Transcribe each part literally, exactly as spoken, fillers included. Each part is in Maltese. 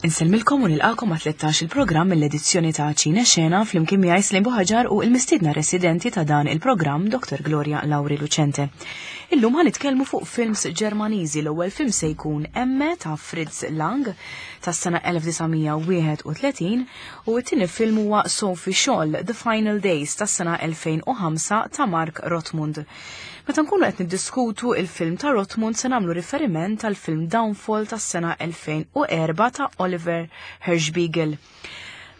Insellmilkom u nilqakom għat tlettax il-programm mill-edizzjoni ta' Ċine Xena flimkien miegħi Slim Buħaġar u l-mistiedna residenti ta' dan il-programm Doktor Gloria Lauri Lucente. Illum ħa nitkellmu fuq films Ġermaniżi. L-ewwel film se jkun Emme ta' Fritz Lang tas-sena elf disa' mija wieħed u tletin u t-tieni film huwa Sophie Scholl The Final Days tas-sena elfejn u ħamsa ta' Mark Rothmund. Meta nkunu qed niddiskutu il-film ta' Rothmund se nagħmlu riferiment tal-film Downfall tas-sena elfejn u erba' ta' Oliver Hirschbiegel.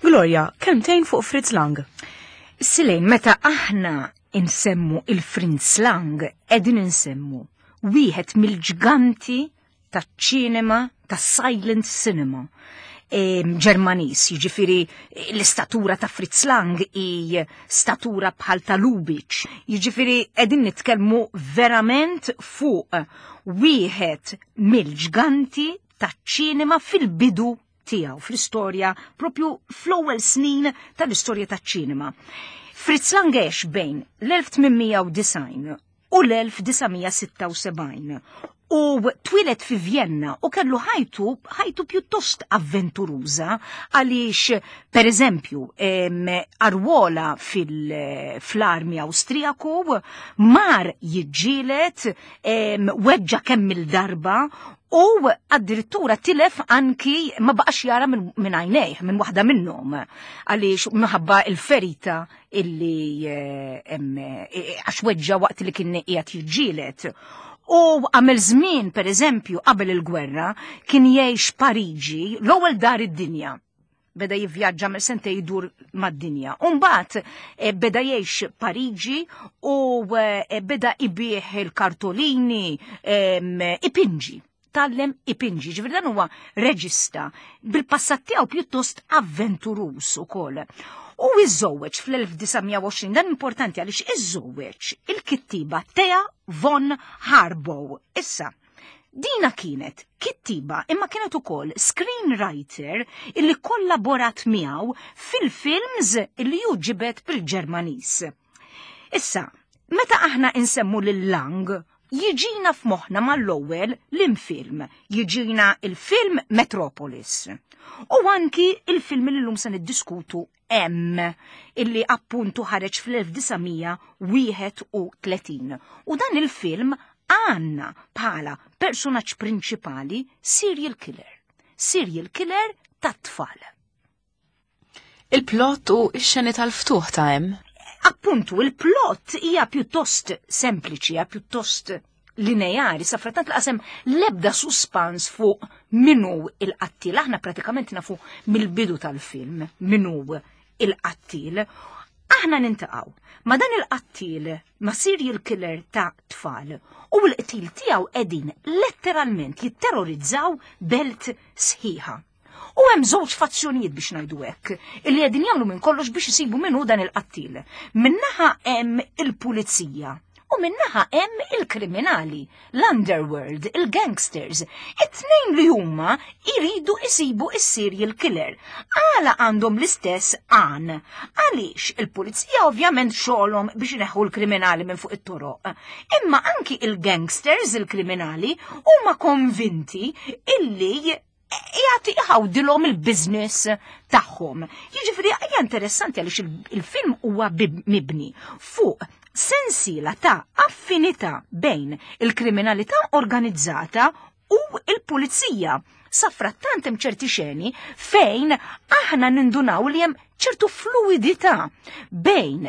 Gloria, kelmtejn fuq Fritz Lang. Silejn, meta aħna insemmu il-Fritz Lang, qegħdin insemmu wieħed mill-ġganti taċ-ċinema, tas-silent cinema. Em, Ġermaniż, jiġifieri l-istatura ta' Fritz Lang hi statura bħal ta' Lubitsch. Jiġifieri qegħdin nitkellmu verament fuq wieħed mill-ġganti taċ-ċinema fil-bidu tiegħu, fl-istorja, propju fl-ewwel snin tal-istorja taċ-ċinema. Fritz Lang għex bejn l-elf tmien mija u disgħin u l-elf disa' mija sitta u sebgħin u twieled fi Vienna u kellu ħajtu, ħajtu pjuttost avventuruża għaliex, per eżempju, em, arwola fil-, fl-armi Awstrijaku, mar jiġġieled, em, weġġa kemm il-darba u addirittura tilef anki ma baqax jara minn, minn għajnejh, minn waħda minnhom, għaliex minħabba il-ferita illi, eh, em, eh, għax weġġa waqt li kien qiegħed jiġġieled. U għamel żmien, per eżempju, qabel il-gwerra, kien jgħix Pariġi, l-ewwel dar id-dinja. Beda jivvjaġġa mill sentej jdur mad-dinja. U mbagħad, eh, beda jgħix Pariġi u, eh, beda ibih il-kartolini, em, ipinġi. Tallem ipinġi, ġifieri dan huwa reġista bil-passat tiegħu pjuttost avventuruż ukoll. U iżżewweġ fl-elf disa' mija u għoxrin, dan importanti għaliex iżżewweġ il-kittiba Thea von Harbou. Issa, dina kienet kittiba imma kienet ukoll screenwriter illi kollaborat miegħu fil-films illi hu ġibed bil-Ġermaniż. Issa, meta aħna insemmu lil Lang, jiġina f'moħħna mal-ewwel l-film, jiġina il-film Metropolis. U anki il-film li llum se niddiskutu M, illi appuntu ħareġ fl-elf disa' mija wieħed u tletin. U dan il-film għanna bħala personaġġ prinċipali serial killer. Serial killer tat-tfal. Il-plot u x-xeni tal-ftuħ ta' M? Appuntu, il-plot hija pjuttost sempliċi, hija pjuttost lineari, sa frattant laqasem lebda suspans fuq minu il-qattil. Aħna pratikament nafu mill-bidu tal-film minu il-qattil. Aħna nintaqgħu ma' dan il-qattil, ma' serial killer ta' tfal, u l-qtil tiegħu qegħdin letteralment jitterrorizzaw belt sħiħa. U hemm żewġ fazzjonijiet biex ngħidu hekk, illi qegħdin jagħmlu minn kollox biex isibu min hu dan il-qattil. Min-naħa hemm il-pulizija u min-naħa hemm il-kriminali, l-underworld, il-gangsters. It-tnejn li huma jridu isibu is-serial killer. Għala għandhom l-istess għan? Għaliex il-pulizija ovvjament xogħolhom biex ineħħu l-kriminali minn fuq it-toroq. Imma anki il-gangsters, il-kriminali, huma konvinti illi jagħti jħawdilhom il-business tagħhom. Jiġifieri hija interessanti għaliex il-, il-film huwa bib-, mibni fuq sensiela ta' affinità bejn il-kriminalità organizzata u il-pulizija. Sa frattant hemm ċerti xeni fejn aħna nindunaw li hemm ċertu fluidità bejn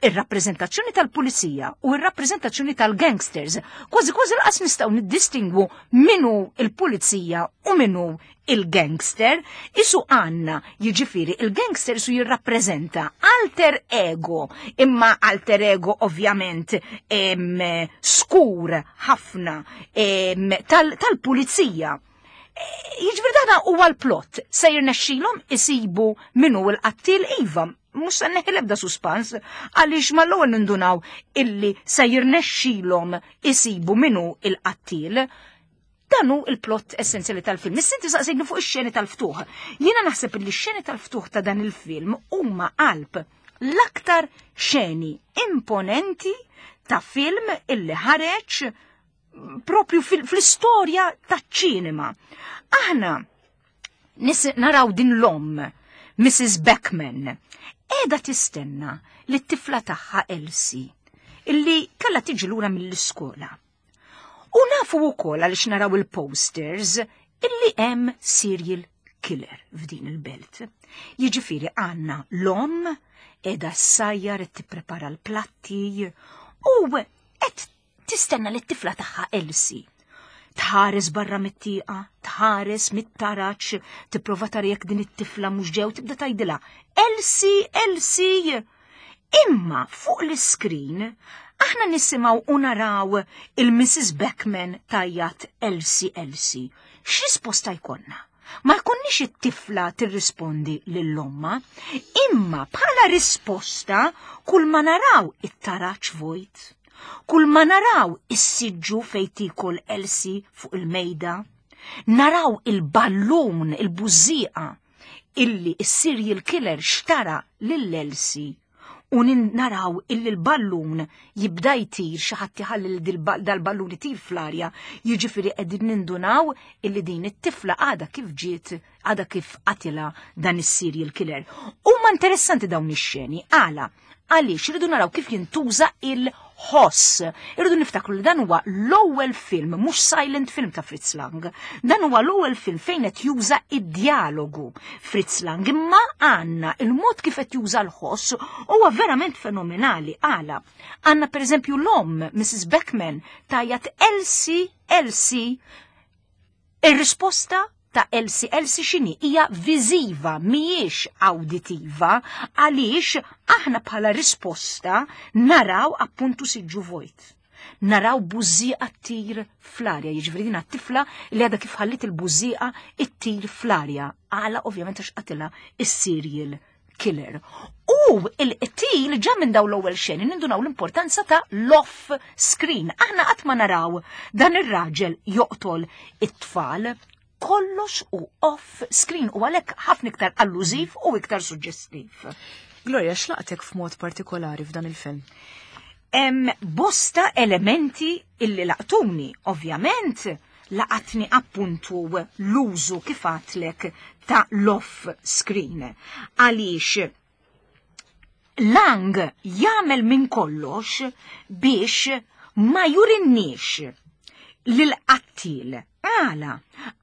ir-rappreżentazzjoni tal-pulizija u ir-rappreżentazzjoni tal-gangsters. Kważi kważi laqas nistgħu niddistingwu minu il-pulizija u minu il-gangster. Isu għanna, jiġifieri il-gangster su jirrappreżenta alter ego, imma alter ego ovvjament, em, skur ħafna, em, tal-, tal-pulizija. Jiġifieri dan huwa l-plot, se jirnexxilhom isibu minu l-qattil. Iva, mhux se neħi l-ebda suspans, għaliex mal-ewwel nindunaw illi se jirnexxilhom isibu minu il-qattil. Dan hu il-plot essenzjali tal-film. Issa inti saqsejtni fuq ix-xeni tal-ftuħ. Jiena naħseb li x-xeni tal-ftuħ ta' dan il-film huma qalb l-aktar xeni imponenti ta' film illi ħareġ propju fil-, fl-istorja taċ-ċinema. Aħna Naraw din l-omm, Missus Beckman, qiegħda tistenna li t-tifla tagħha Elsie, illi kellha tiġi lura mill-iskola. U nafu wkoll għaliex naraw il-posters illi hemm serial killer f'din il-belt. Jiġifieri għandna l-omm qiegħda ssajjar qed tipprepara l-platti u qed tistenna li t-tifla tagħha Elsie. Tħares barra mit-tieqa, tħares mit-taraċ, tipprova tara jekk din it-tifla mhux ġew, tibda tgħidilha Elsie, Elsie. Imma fuq l-iskrin aħna nisimgħu u naraw il-Missus Beckman tajjat Elsie, Elsie. X'risposta jkollna? Ma jkunniex it-tifla tirrispondi lill-omma, imma bħala risposta kull ma naraw it-taraċ vojt. Kull ma naraw is-siġġu fejn tikol Elsie fuq il-mejda, naraw il-ballun, il-bużieqa illi is-serial killer xtara lil Elsie u naraw illi l-ballun jibda jtir, xi ħadd iħalli dal-ballun itir fl-arja, jiġifieri qegħdin nindunaw illi din it-tifla għadha kif ġiet, għadha kif qatilha dan is-serial killer. Huma interessanti dawn ix-xeni, għala? Għaliex irridu naraw kif jintuża il-ħoss. Irridu niftakru li dan huwa l-ewwel film, mhux silent film ta' Fritz Lang. Dan huwa l-ewwel film fejn qed juża id-dialogu Fritz Lang, imma għandna il-mod kif qed juża l-ħoss huwa verament fenomenali. Għala? Għandna pereżempju l-omm, Missus Beckman, tajjat Elsie, Elsie. Ir-risposta ta' Elsie, Elsie x'inhi? Hija viżiva, mhijiex awditiva, għaliex aħna bħala risposta naraw appuntu siġġu vojt. Naraw bużieqa ttir fl-arja, jiġifieri din t-tifla li għadha kif ħallit il-bużieqa ttir fl-arja. Għala ovvjament għax qatilha is-serial killer. U il-qtil ġa minn daw l-ewwel xeni nindunaw l-importanza ta' l-off screen. Aħna qatt ma naraw dan ir-raġel joqtol it-tfal, kollox u off screen u għalhekk ħafna iktar allużiv u iktar suġġestiv. Gloria, x'laqtek f'mod partikolari f'dan il-film? Hemm bosta elementi illi laqtuni, ovvjament laqatni appuntu l-użu kif għatlek ta' l-off screen. Għaliex Lang jagħmel minn kollox biex ma jurinniex lil-qattil. Għala,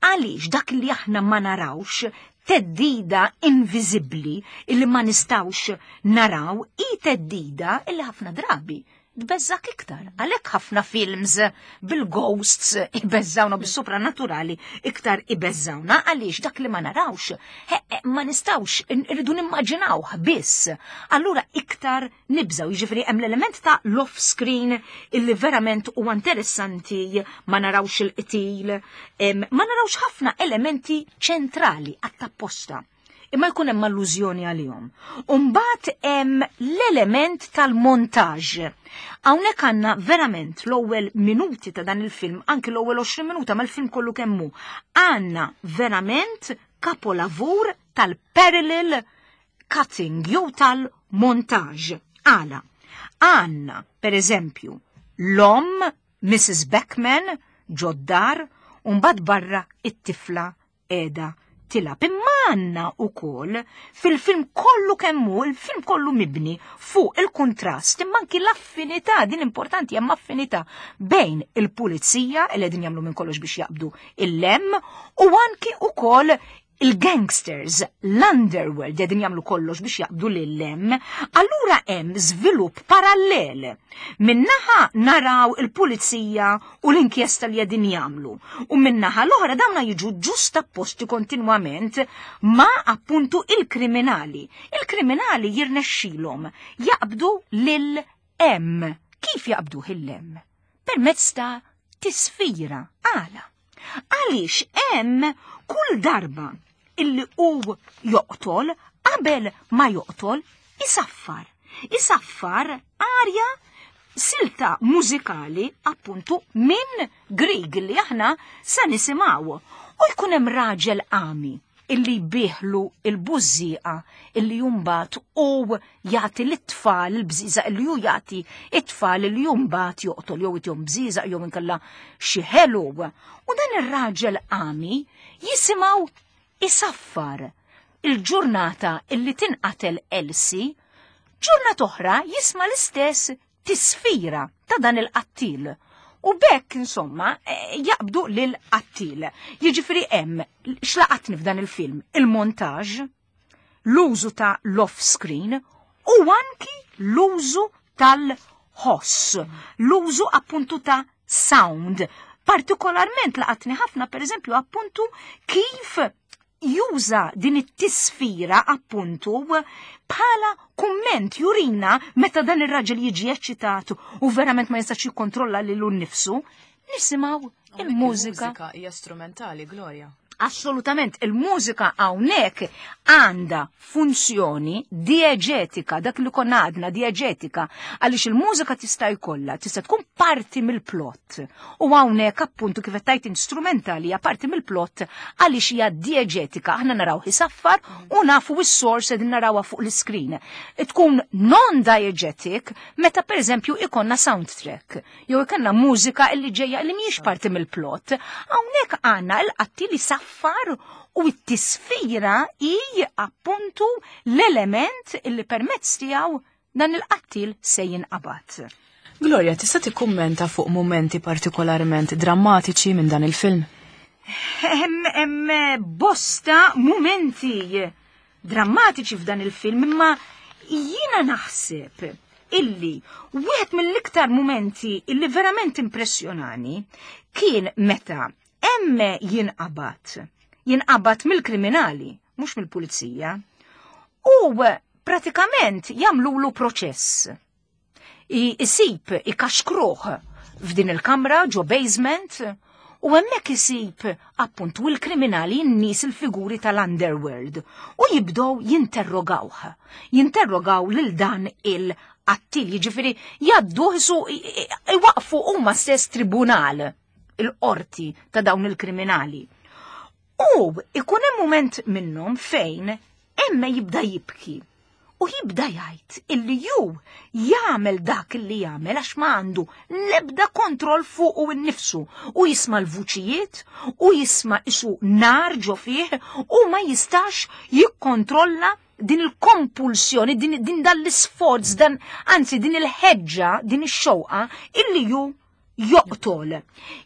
għaliex dak li aħna ma narawx teddida inviżibbli illi ma nistawx naraw i teddida illi ħafna drabi tbeżżak iktar. Għalhekk ħafna films bil-ghosts ibeżżawna, bis-sopranaturali iktar ibeżżawna, għaliex dak li ma narawx, he, he, ma nistawx, irridu nimmaġinawh biss. Allura iktar nibżaw, jiġifieri hemm l-element ta' l-off screen illi verament huwa interessanti, ma narawx il-qtil, em, ma narawx ħafna elementi ċentrali għat-tapposta. Imma jkun hemm allużjoni għalihom. Umbagħad hemm l-element tal-montaġġ. Hawnhekk għandna verament l-ewwel minuti ta' dan il-film, anki l-ewwel għoxrin minuta mal-film kollu kemm hu. Għandna verament kapolavur tal-parallel cutting jew tal-montaġġ. Għala, għandna per eżempju l-omm Missus Beckman ġoddar u mbagħad barra it-tifla qiegħda tilab. Imma għandna wkoll fil-film kollu kemm hu, il-film kollu mibni fuq il-kontrast, imma anki l-affinità, din importanti, hemm affinità bejn il-pulizija li qegħdin jagħmlu minn kollox biex jaqbdu il-lem u anki wkoll il-gangsters, l-underworld qegħdin jagħmlu kollox biex jaqbdu lil-lem. Allura hemm żvilupp parallel. Minnaħa naraw il-pulizija u l-inkjesta li qegħdin jagħmlu. U minnaħa l-oħra dawna jiġu ġust apposti kontinwament ma' appuntu il-kriminali. Il-kriminali jirnexxilhom jaqbdu lil-M. Kif jaqbdu il-M? Permezz ta' tisfira. Għala. Għaliex hemm kull darba illi hu joqtol, qabel ma joqtol, isaffar. Isaffar arja silta mużikali appuntu minn Grieg li aħna sa nisimgħu. U jkun hemm raġel għami illi jbiħlu il-bużieqa illi jumbat u jagħti lit-tfal il-bżiża illi ju jagħti it-tfal illi jumbat joqtol jew itihom bżiża jew inkella xi ħelu. U dan ir-raġel għami jisimgħu Isaffar il-ġurnata illi tinqatel Elsie, ġurnata oħra jisma' l-istess tisfira ta' dan il-qattil. U bekk, insomma, eh, jaqbdu lil qattil. Jiġifieri hemm x'laqatni f'dan il-film? Il-montaġġ, l-użu ta' l-off-screen u anki l-użu tal-ħoss, l-użu appuntu ta' sound. Partikolarment laqatni ħafna, per eżempju, appuntu kif juża din it-tisfira appuntu bħala kumment jurina meta dan ir-raġel jiġi eċċitat u verament ma jistax jikkontrolla lilu nnifsu, nisimgħu il-mużika. Il-mużika hija strumentali, Gloria. Assolutament, il-mużika hawnhekk għandha funzjoni dieġetika, dak li konna għadna dieġetika, għaliex il-mużika tista' jkollha, tista' tkun parti mill-plot. U hawnhekk appuntu kif qed tgħid instrumentali hija parti mill-plot għaliex hija dieġetika. Aħna naraw isaffar u nafu s-source qegħdin narawha fuq l-iskrin. Tkun non-diegetic meta pereżempju ikonna soundtrack, jew ikonna mużika illi ġejja li mhijiex parti mill-plot. Hawnhekk għandna l-qattil isaffar u t-tisfira hi appuntu l-element illi permezz tiegħu dan il-qattil se jinqabad. Gloria, tista' tikkummenta fuq momenti partikolarment drammatiċi minn dan il-film? Hemm hemm bosta momenti drammatiċi f'dan il-film, imma jiena naħseb illi wieħed mill-iktar momenti illi verament impressjonani kien meta Emme jinqabad, jinqabad mill-kriminali, mhux mill-pulizija, u pratikament jagħmlulu proċess. Isib ikaxkruh f'din il-kamra ġo basement u hemmhekk isib appuntu il-kriminali, n-nies, il-figuri tal-underworld, u jibdew jinterrogawh. Jinterrogaw lil dan il-qattil, jiġifieri jgħadduh su iwaqfu huma stess tribunal, il-qorti ta' dawn il-kriminali. U ikun hemm moment minnhom fejn Emme jibda jibki u jibda jgħid illi ju jagħmel dak illi jagħmel għax ma għandu l-ebda kontroll fuq u nnifsu, u jisma' l-vuċijiet u jisma' isu nar ġo fih u ma jistax jikkontrolla din il-kompulsjoni, din, din dan l-isforz, dan, anzi din il-ħeġġa, din ix-xewqa illi ju joqtol.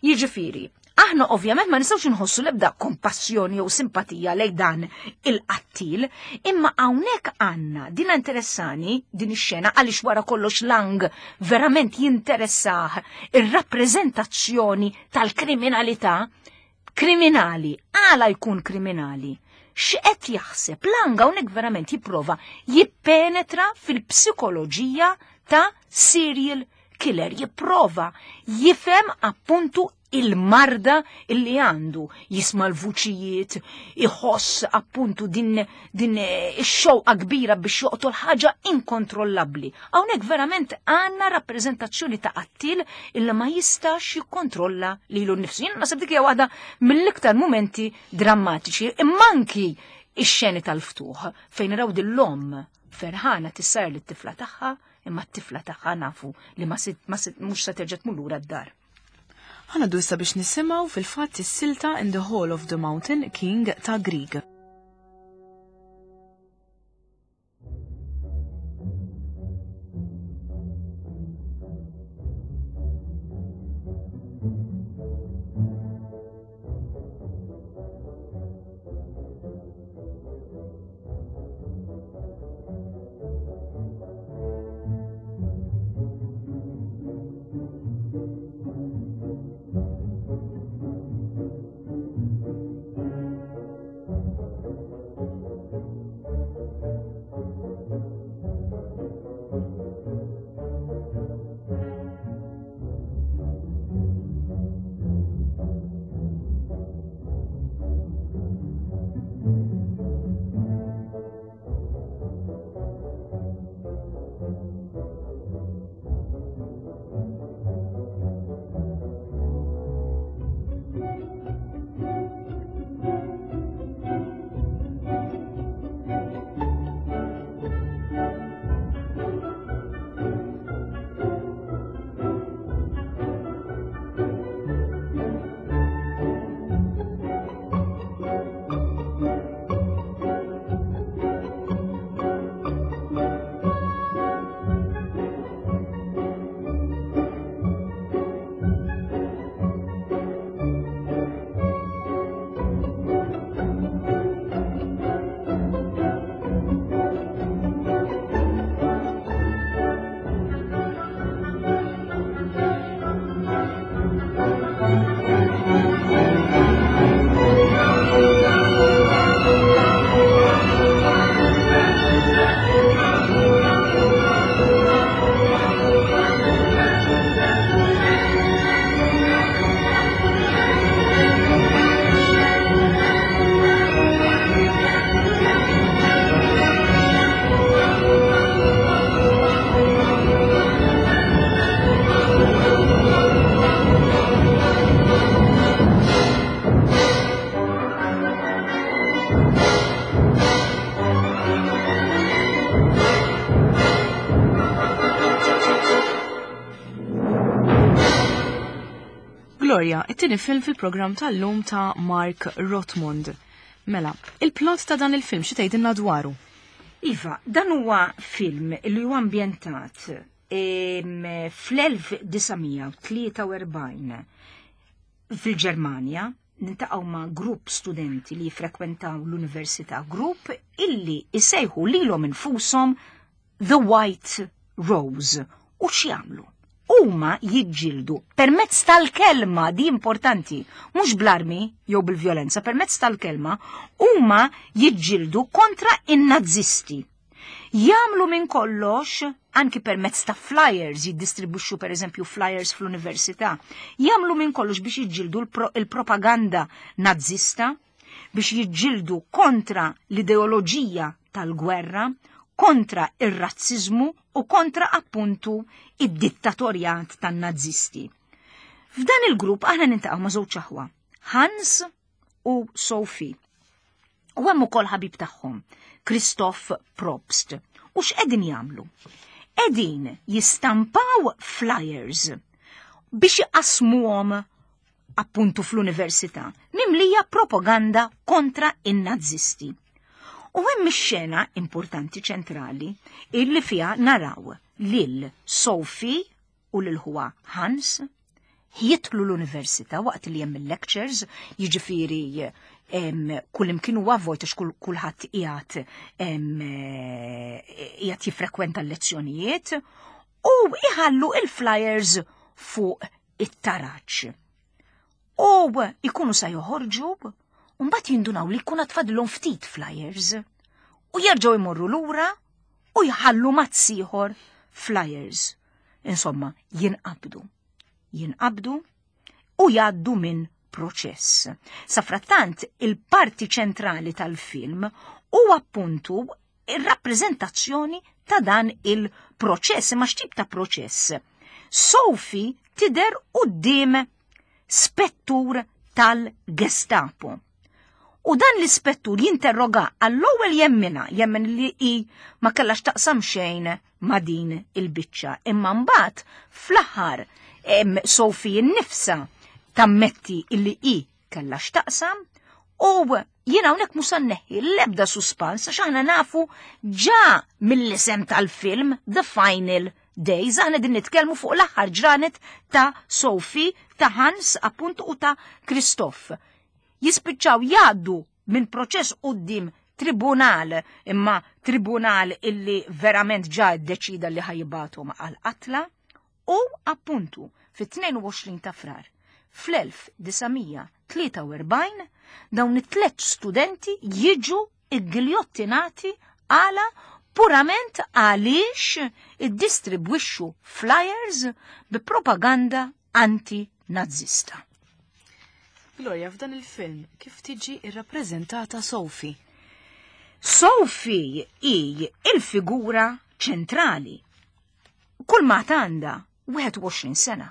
Jiġifieri, aħna ovvjament ma nistgħux inħossu l-ebda kompassjoni jew simpatija lejn dan il-qattil, imma hawnhekk għandna din interessani din ix-xena għaliex wara kollox Lang verament jinteressah ir-rappreżentazzjoni tal-kriminalità. Kriminali, għala jkun kriminali? X'qed jaħseb? Lang hawnhekk verament jipprova jippenetra fil-psikoloġija ta' serial killer, jipprova jifhem appuntu il-marda illi għandu, jisma' l-vuċijiet, iħoss appuntu din, din ix-xewqa kbira biex joqtol, ħaġa inkontrollabbli. Hawnhekk verament għandna rappreżentazzjoni ta' qattil illi ma jistax jikkontrolla lilu nnifsu. Jien naħseb dik hija waħda mill-iktar momenti drammatiċi, imma anki ix-xeni tal-ftuħ fejn naraw din l-omm ferħana tissar lit-tifla tagħha, imma t-tifla tagħha nafu li ma sit, ma sit, mhux se terġa' tmur lura d-dar. Ħa ngħaddu issa biex nisimgħu fil-fatt is-silta In the Hall of the Mountain King ta' Grieg. Thank you. Gloria, it-tieni film fil-programm tal-lum ta' Mark Rothmund. Mela, il-plot ta' dan il-film xi tgħidilna dwaru? Iva, dan huwa film li huwa ambjentat fl-elf disa' mija u tlieta u erbgħin fil-Ġermanja. Niltaqgħu ma' grupp studenti li jifrekwentaw l-università, grupp illi jsejħu lilhom infushom The White Rose. U x'jagħmlu? Huma jiġġieldu permezz tal-kelma, di importanti, mhux bl-armi jew bil-vjolenza, permezz tal-kelma, huma jiġġieldu kontra in-nazisti. Jagħmlu minn kollox, anki permezz ta' flyers, jiddistribwixxu per eżempju flyers fl-università, jagħmlu minn kollox biex jiġġieldu l-pro-, il-propaganda nazista, biex jiġġieldu kontra l-ideoloġija tal-gwerra, kontra ir-razzizmu u kontra appuntu id-dittatorjat tan-nazisti. F'dan il-grupp aħna niltaqgħu ma' żewġ aħwa, Hans u Sophie. U hemm ukoll ħabib tagħhom, Christoph Probst. U x'qegħdin jagħmlu? Qegħdin jistampaw flyers biex iqassmuhom appuntu fl-università, mimlija propaganda kontra in-nazisti. U hemm ix-xena importanti ċentrali illi fiha naraw lil Sophie u lil ħuha Hans jidħlu l-università waqt li hemm il-lectures, jiġifieri em, kull imkien huwa vojt għax kull-, kulħadd qiegħed, em, qiegħed jiffrekwenta l-lezzjonijiet u iħallu il-flyers fuq it-taraġ. U ikunu sa joħorġu u mbagħad jindunaw li jkun tfadlhom ftit flyers u jerġgħu jmorru lura u jħallu mazz ieħor flyers. Insomma, jinqabdu. Jinqabdu u jgħaddu minn proċess. Safrattant, il-parti ċentrali tal-film u appuntu ir-rappreżentazzjoni ta' dan il-proċess, imma x'tip ta' proċess? Sophie tidher quddiem spettur tal-Gestapo. U dan l-ispettur jinterroga għall-ewwel jemmina, jemmen li hi ma kellax taqsam xejn ma' din il-biċċa. Imma mbagħad fl-aħħar em, Sophie nnifsa tammetti illi hi kellha x'taqsam u jiena hawnhekk mhux se nneħħi l-ebda suspans għax aħna nafu ġa mill-isem tal-film The Final Days, aħna din nitkellmu fuq l-aħħar ġranet ta' Sophie, ta' Hans appuntu u ta' Christoph. Jispiċċaw jgħaddu minn proċess quddiem tribunal, imma tribunal illi verament ġa ddeċida li ħa jibgħathom għal-qatla, u appuntu fit-tnejn u għoxrin ta' Frar fl-elf disa' mija tlieta u erbgħin dawn it-tliet studenti jiġu iggiljottinati għala purament għaliex iddistribwixxu flyers bi propaganda anti-nazista. Gloria, f'dan il-film kif tiġi irrappreżentata Sophie? Sophie hi il-figura ċentrali. Kull ma għandha wieħed u għoxrin sena.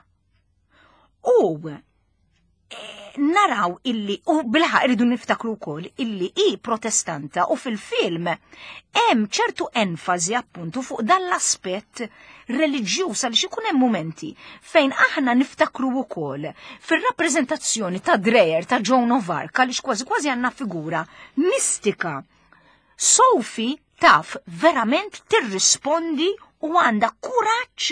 U, eh, naraw illi, u bilħaq irridu niftakru wkoll illi hi protestanta u fil-film hemm ċertu enfasi appuntu fuq dan l-aspett reliġjuż għaliex ikun hemm momenti fejn aħna niftakru wkoll fir-rappreżentazzjoni ta' Dreyer ta' Joan of Arc għaliex kważi kważi għandna figura mistika. Sophie taf verament tirrispondi u għandha kuraġġ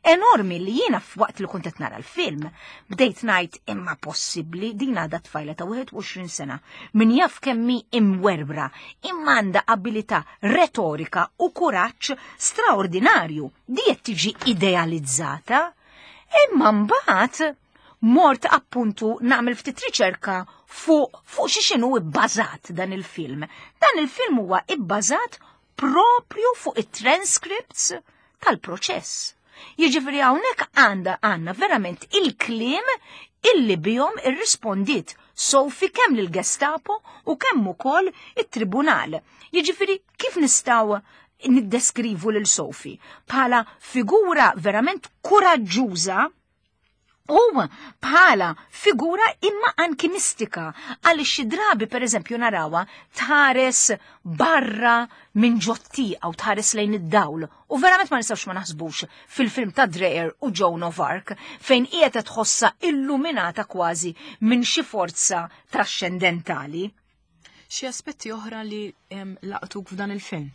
enormi li jiena f'waqt li kont qed nara l-film. Bdejt ngħid imma possibbli din għadha tfajla ta' wieħed u għoxrin sena min jaf kemm hi imwerbra, imma għandha abilità retorika u kuraġġ straordinarju. Di qed tiġi idealizzata, imma mbagħad mort appuntu nagħmel ftit riċerka fuq, fuq xi x'inhu bbażat dan il-film. Dan il-film huwa bbażat propju fuq it-transcripts tal-proċess. Jiġifieri hawnhekk għandha għandna verament il-kliem illi bihom irrispondiet Sophie kemm lill-Gestapo u kemm ukoll it-tribunal. Jiġifieri kif nistgħu niddeskrivu lil Sophie? Bħala figura verament kuraġġuża U bħala figura imma anki mistika, għaliex xi drabi, per eżempju, narawha tħares barra minn ġot-tieqa u tħares lejn id-dawl. U verament ma nistgħux ma naħsbux fil-film ta' Dreyer u Joan of Arc, fejn qiegħed tħossha illuminata kważi minn xi forza trascendentali. Xi aspetti oħra li laqtuk f'dan il-film?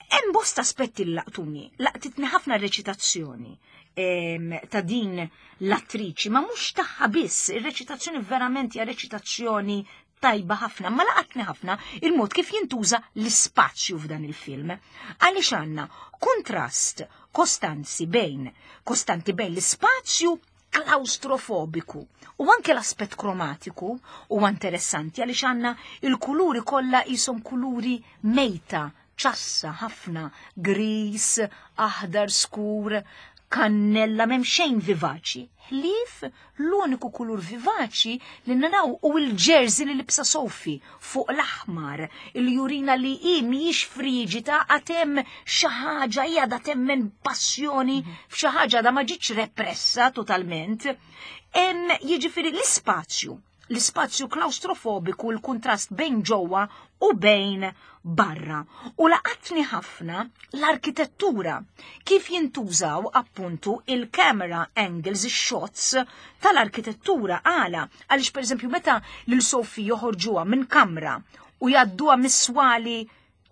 Hemm bosta aspetti li laqtuni. Laqtitni ħafna reċitazzjoni ta' din l-attriċi, ma mhux tagħha biss, ir-reċitazzjoni verament hija reċitazzjoni tajba ħafna, ma laqatni ħafna il-mod kif jintuża l-ispazju f'dan il-film. Għaliex għandna kontrast kostanzi bejn, kostanti bejn l-ispazju klaustrofobiku u anke l-aspett kromatiku huwa interessanti, għaliex għandna il-kuluri kollha jisom kuluri mejta, ċassa ħafna, gris, aħdar skur, kannella, m'hemm xejn vivaċi. Ħlief l-uniku kulur vivaċi li naraw u l-jersey li libsa Sophie fuq l-aħmar, il jurina li hi mhijiex friġita, għad hemm xi ħaġa, hija da temmen passjoni f'xi ħaġa da ma ġietx repressa totalment. Em jiġifieri l-ispazju, l-ispazju klaustrofobiku, l-kontrast bejn ġewwa u bejn barra. U laqatni ħafna l-arkitettura, kif jintużaw appuntu il-camera angles, il-shots tal-arkitettura. Għala, għaliex, per eżempju, meta lil Sophie joħorġuha minn kamra u jgħadduha mis-swali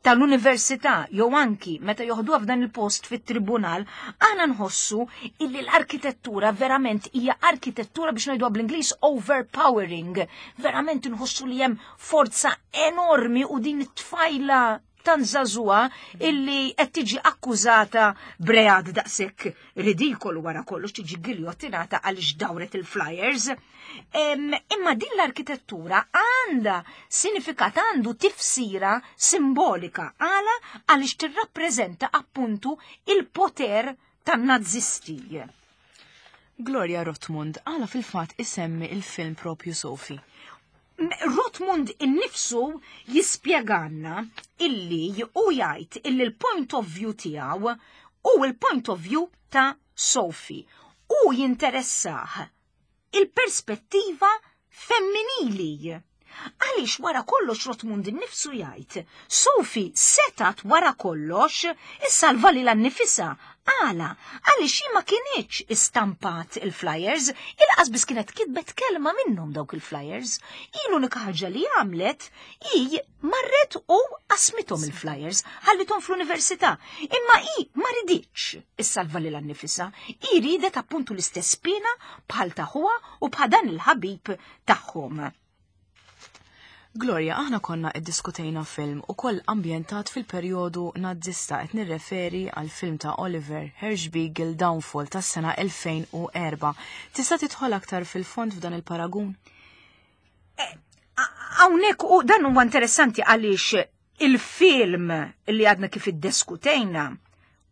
tal-università, jew anki meta joħduha f'dan il-post fit-tribunal, aħna nħossu illi l-arkitettura verament hija arkitettura, biex ngħiduha bl-Ingliż, overpowering. Verament nħossu li hemm forza enormi u din it-tfajla tant żagħżugħa illi qed tiġi akkużata b'reat daqshekk ridikolu, wara kollox tiġi giljottinata għaliex dawret il-flyers. Imma din l-arkitettura għandha sinifikat, għandu tifsira simbolika. Għala? Għaliex tirrappreżenta appuntu il-poter tan-nazisti. Gloria, Rothmund, għala fil-fatt isemmi il-film propju Sophie? Rothmund innifsu jispjeganna illi u jgħid illi l-point of view tiegħu u l-point of view ta' Sophie u jinteressah il-perspettiva femminili. Għaliex wara kollox Rothmund innifsu jgħid, Sophie setat wara kollox issalva lilha nnifisha. Għala? Għaliex ma kinitx istampat il-flyers, lanqas biss kienet kitbet kelma minnhom dawk il-flyers. Hi l-unika ħaġa li għamlet, hi marret u qasmithom il-flyers, ħallithom fl-università. Imma hi ma riditx issalva lilha nnifisha, hi ridet appuntu l-istess pena bħal ta' ħuha u bħal dan il-ħabib tagħhom. Gloria, aħna konna iddiskutejna film ukoll ambjentat fil-perjodu nazzista, qed nirreferi għal film ta' Oliver Hirschbiegel, Downfall, tas-sena elfejn u erbgħa. Tista' tidħol aktar fil-fond f'dan il-paragun? Eh, hawnhekk u dan huwa interessanti għaliex il-film li għadna kif iddiskutejna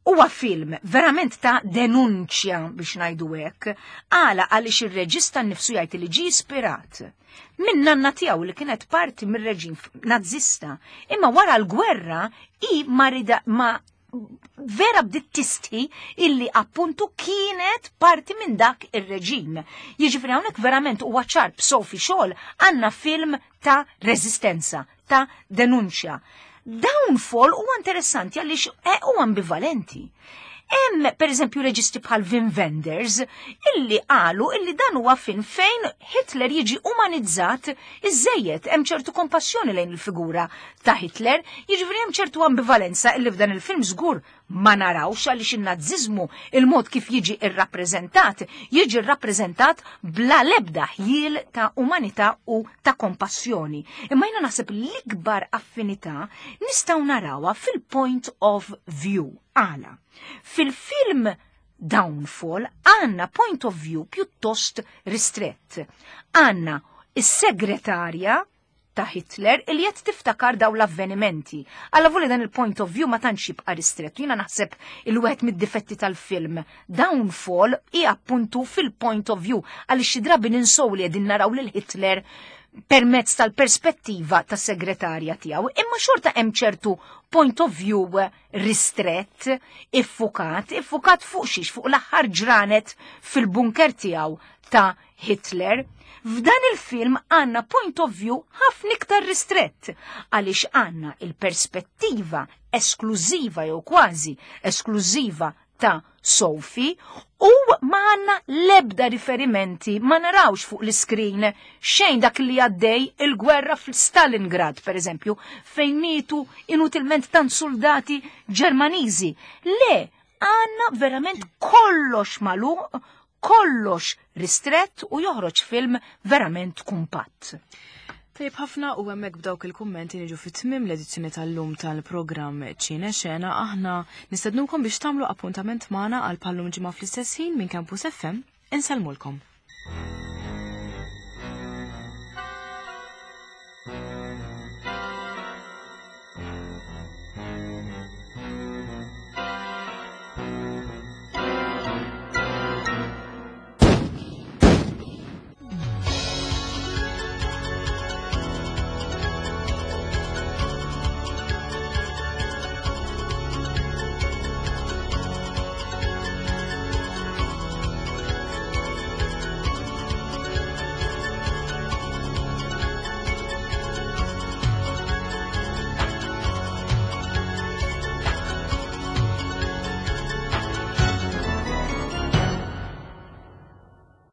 huwa film verament ta' denunċja, biex ngħidu hekk, għala? Għaliex ir-reġista nnifsu jgħid li ġie ispirat minn nanna tiegħu li kienet parti mir-reġim nazzista, imma wara l-gwerra i marida ma vera bdiet tistħi illi appuntu kienet parti minn dak ir-reġim. Jiġifieri hawnhekk verament huwa ċar, b'Sophie Scholl għandna film ta' reżistenza, ta' denunċja. Downfall huwa interessanti għaliex huwa ambivalenti. Hemm, per eżempju, reġisti bħal Wim Wenders illi qalu illi dan huwa film fejn Hitler jiġi umanizzat iżejjed, hemm ċertu kompassjoni lejn il-figura ta' Hitler, jiġifieri hemm ċertu ambivalenza illi f'dan il-film żgur ma narawx, għaliex in-naziżmu, il-mod kif jiġi irrappreżentat, jiġi rrappreżentat bla lebda ħjiel ta' umanità u ta' kompassjoni. Imma jiena naħseb l-ikbar affinità nistgħu narawha fil-point of view. Għala? Fil-film Downfall għandna point of view pjuttost ristrett. Għandna is-segretarja ta' Hitler il qed tiftakar daw l-avvenimenti. Alla voli dan il-point of view ma tantx jibqa' ristrett. Jiena naħseb il-wieħed mid-difetti tal-film Downfall hi appuntu fil-point of view, għaliex xi drabi ninsow li qegħdin naraw lil Hitler Permezz tal-perspettiva tas segretarja tiegħu, imma xorta hemm ċertu point of view ristrett, iffukat, iffukat fuq xiex, fuq l-aħħar ġranet fil-bunker tiegħu ta' Hitler. F'dan il-film għanna point of view ħafna iktar ristrett, għaliex għanna il-perspettiva esklużiva jew kważi esklużiva ta' Sophie u ma għanna lebda riferimenti, ma narawx fuq l-iskrin xejn dak li għaddej il-gwerra fl-Stalingrad, per eżempju, fejn mietu inutilment tant soldati Ġermaniżi. Le, għanna verament kollox magħluq, kollox ristrett u joħroġ film verament kumpatt. Tajjeb ħafna, u hemmhekk b'dawk il-kummenti niġu fit-tmim l-edizzjoni tal-lum tal-programm Ċine Xena. Aħna nistednukom biex tagħmlu appuntament magħna għal bħal-lum ġimgħa fl-istess ħin minn Campus F M. Insellmulkom.